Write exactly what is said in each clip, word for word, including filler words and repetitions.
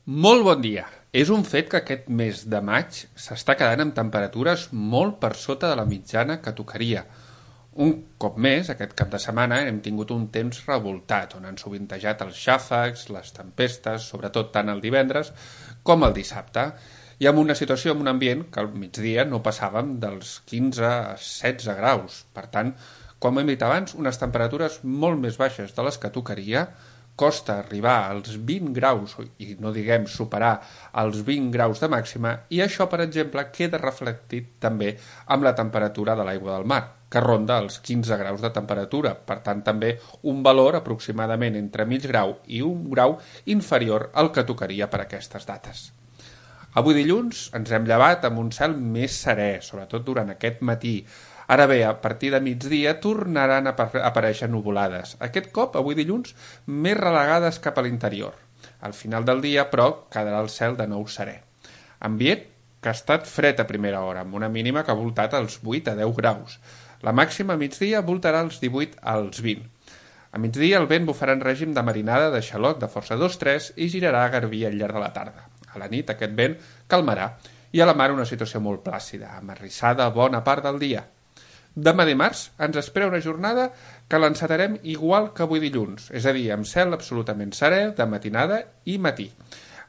Molt bon dia. És un fet que aquest mes de maig s'està quedant amb temperatures molt per sota de la mitjana que tocaria. Un cop més, aquest cap de setmana, hem tingut un temps revoltat, on han sovintejat els xàfecs, les tempestes, sobretot tant el divendres com el dissabte, i amb una situació, amb un ambient que al migdia no passàvem dels quinze a setze graus. Per tant, com hem dit abans, unes temperatures molt més baixes de les que tocaria. Costa arribar als vint graus, i no diguem superar els vint graus de màxima, i això, per exemple, queda reflectit també amb la temperatura de l'aigua del mar, que ronda els quinze graus de temperatura, per tant també un valor aproximadament entre mig grau i un grau inferior al que tocaria per aquestes dates. Avui dilluns ens hem llevat amb un cel més serè, sobretot durant aquest matí. Ara bé, a partir de migdia tornaran a aparèixer nuvolades. Aquest cop, avui dilluns, més relegades cap a l'interior. Al final del dia, però, quedarà el cel de nou serè. Ambient que ha estat fred a primera hora, amb una mínima que ha voltat als vuit a deu graus. La màxima a migdia voltarà als divuit als vint. A migdia el vent bufarà en règim de marinada de xaloc de força dos tres i girarà a garbí al llarg de la tarda. A la nit aquest vent calmarà i a la mar una situació molt plàcida, amarrissada bona part del dia. Demà dimarts ens espera una jornada que l'encetarem igual que avui dilluns, és a dir, amb cel absolutament serè de matinada i matí.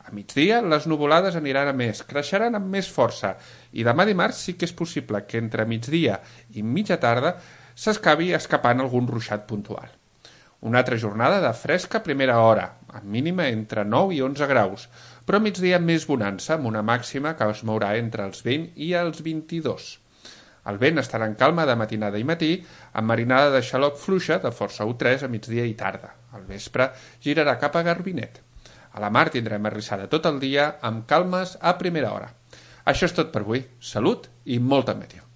A migdia les nuvolades aniran a més, creixeran amb més força, i demà dimarts sí que és possible que entre migdia i mitja tarda s'escavi escapant algun ruixat puntual. Una altra jornada de fresca a primera hora, amb mínima entre nou i onze graus, però a migdia més bonança, amb una màxima que es mourà entre els vint i els vint-i-dos. El vent estarà en calma de matinada i matí, amb marinada de xaloc fluixa de força u tres a migdia i tarda. Al vespre girarà cap a Garbinet. A la mar tindrem arrissada tot el dia, amb calmes a primera hora. Això és tot per avui. Salut i molta meteo.